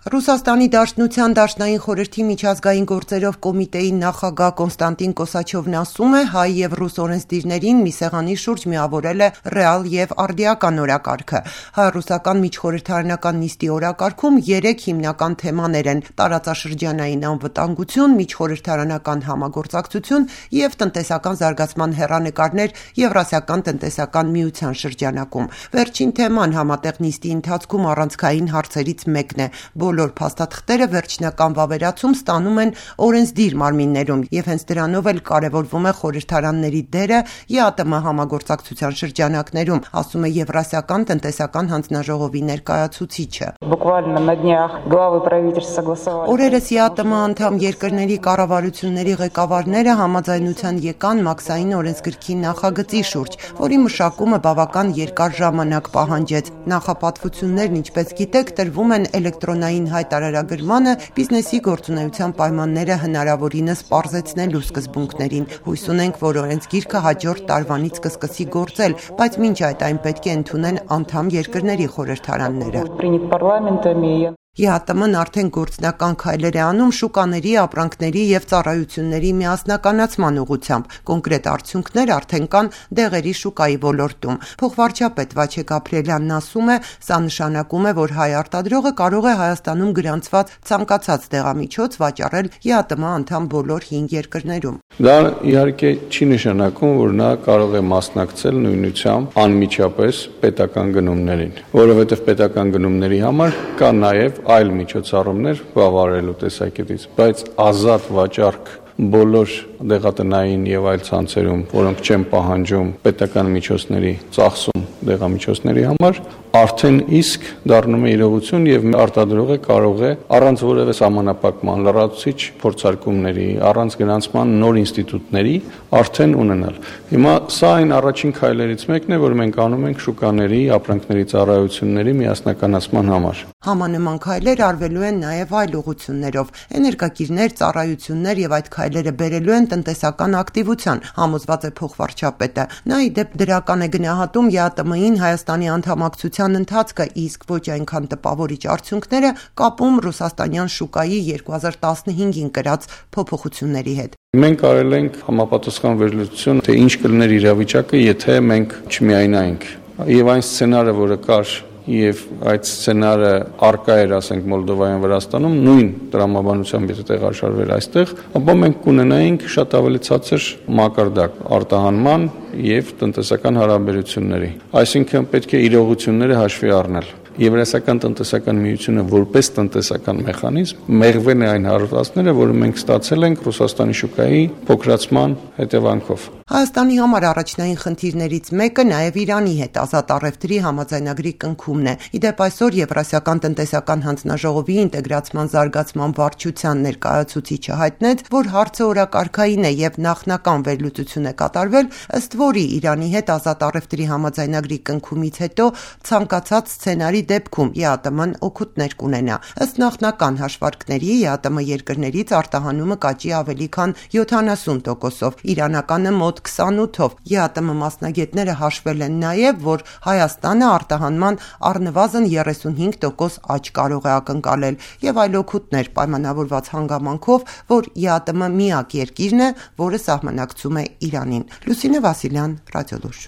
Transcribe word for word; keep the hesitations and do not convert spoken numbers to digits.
Ռուսաստանի Դաշնության Դաշնային խորհրդի միջազգային գործերով կոմիտեի նախագահ Կոնստանտին Կոսաչովն ասում է, հայ եւ ռուս օրենսդիրներին մի սեղանի շուրջ միավորել է ռեալ եւ արդիական օրակարգը։ Հայ-ռուսական միջխորհրդարանական նիստի օրակարգում երեք հիմնական թեմաներ են՝ տարածաշրջանային անվտանգություն, միջխորհրդարանական համագործակցություն եւ տնտեսական զարգացման հեռանկարներ Եվրասիական տնտեսական միության շրջանակում։ Վերջին թեման համատեղ նիստի ընթացքում առանցքային հարցերից մեկն է։ Բոլոր փաստաթղթերը վերջնական վավերացում ստանում են օրենսդիր մարմիններում եւ հենց դրանով էլ կարեւորվում է խորհրդարանների դերը ԵԱՏՄ համագործակցության շրջանակներում, ասում է Եվրասիական տնտեսական հանձնաժողովի ներկայացուցիչը։ Օրերս ԵԱՏՄ անդամ երկրների կառավարությունների ղեկավարները համաձայնության եկան մաքսային օրենսգրքի նախագծի շուրջ, որի մշակումը բավական երկար ժամանակ պահանջեց։ Նախապատվություններն, ինչպես գիտեք, տրվում են էլեկտրոնային հայտարարագրմանը բիզնեսի գործունեության պայմանները հնարավորինս պարզեցնելու սկզբունքներին։ Հույս ունենք, որ օրենսգիրքը հաջորդ տարվանից կսկսի գործել, բայց մինչ այդ այն պետք է ընդունեն անդամ երկրների խորհրդարանները։ ԵԱՏՄ-ն արդեն գործնական քայլեր է անում շուկաների, ապրանքների եւ ծառայությունների միասնականացման ուղղությամբ։ Կոնկրետ արդյունքներ արդեն կան դեղերի շուկայի ոլորտում։ Փոխվարչապետ Վաչե Գաբրիելյանն ասում է, սա նշանակում է, որ հայ արտադրողը կարող է Հայաստանում գրանցված ցանկացած դեղամիջոց վաճառել ԵԱՏՄ անդամ բոլոր հինգ երկրներում։ Դա իհարկե չի նշանակում, որ նա կարող է մասնակցել նույնությամբ անմիջապես պետական գնումներին, որովհետև պետական գնումների համար կա նաև այլ միջոցառումներ բավարարելու տեսակետից, բայց ազատ վաճառք բոլոր դեղատնային եւ այլ ցանցերում, որոնք չեն պահանջում պետական միջոցների ծախսում դեղամիջոցների համար, արդեն իսկ դառնում է իրողություն եւ արտադրողը կարող է առանց որևէ սահմանափակման, լրացուցիչ փորձարկումների, առանց գրանցման նոր ինստիտուտների արդեն ունենալ։ Հիմա սա այն առաջին քայլերից մեկն է, որ մենք անում ենք շուկաների, ապրանքների, ծառայությունների միասնականացման համար։ Համանման քայլեր արվելու են նաև այլ ուղղություններով։ Էներգակիրներ, ծառայություններ եւ այդ քայլերը բերելու են տնտեսական ակտիվության, համոզված է փոխվարչապետը։ Նա ի դեպ դրական է գնահատում ԵԱՏՄ-ին Հայաստանի անդամակցության ընթացքը, իսկ ոչ այնքան տպավորիչ արդյունքները կապում ռուսաստանյան շուկայի երկու հազար տասնհինգին կրած փոփոխությունների հետ։ Մենք արել ենք համապատասխան վերլուծություն, թե ինչ կլիներ իրավիճակը, եթե մենք չմիայնայինք։ Եվ այն սցենարը, որը կար եւ այդ սցենարը արկա էր, ասենք, Մոլդովայում, Վրաստանում, նույն տրամաբանությամբ եթե տեղաշարվեր այստեղ, ապա մենք կունենայինք շատ ավելի ցածր մակարդակ արտահանման եւ տնտեսական հարաբերությունների։ Այսինքն պետք է իրողությունները հաշվի առնել։ Եվրասիական տնտեսական միությունը որպես տնտեսական մեխանիզմ մեղվել է այն հարվածները, որը մենք ստացել ենք Ռուսաստանի շուկայի փոքրացման հետևանքով։ Հայաստանի համար առաջնային խնդիրներից մեկը նաև Իրանի հետ ազատ առևտրի համաձայնագրի կնքումն է։ Իդեպ այսօր Եվրասիական տնտեսական հանձնաժողովի ինտեգրացման զարգացման վարչության ներկայացուցիչը հայտնեց, որ հարցը օրակարգային է եւ նախնական վերլուծություն է կատարվել, ըստ որի Իրանի հետ ազատ առևտրի համաձայնագրի կնքումից հետո ցանկացած սցենարի դեպքում ԵԱՏՄ-ն օգուտներ կունենա։ Ըստ նախնական հաշվարկների ԵԱՏՄ երկրներից արտահանումը կաճի ավելի քան յոթանասուն տոկոսով, իրանականը մոտ քսանութով։ ԵԱՏՄ մասնագետները հաշվել են նաև, որ Հայաստանը արտահանման առնվազն երեսունհինգ տոկոս աճ կարող է ակնկալել եւ այլ օգուտներ պայմանավորված հանգամանքով, որ ԵԱՏՄ միակ երկիրն է, որը սահմանակցում է Իրանին։ Լուսինե Վասիլյան, Ռադիոլուր։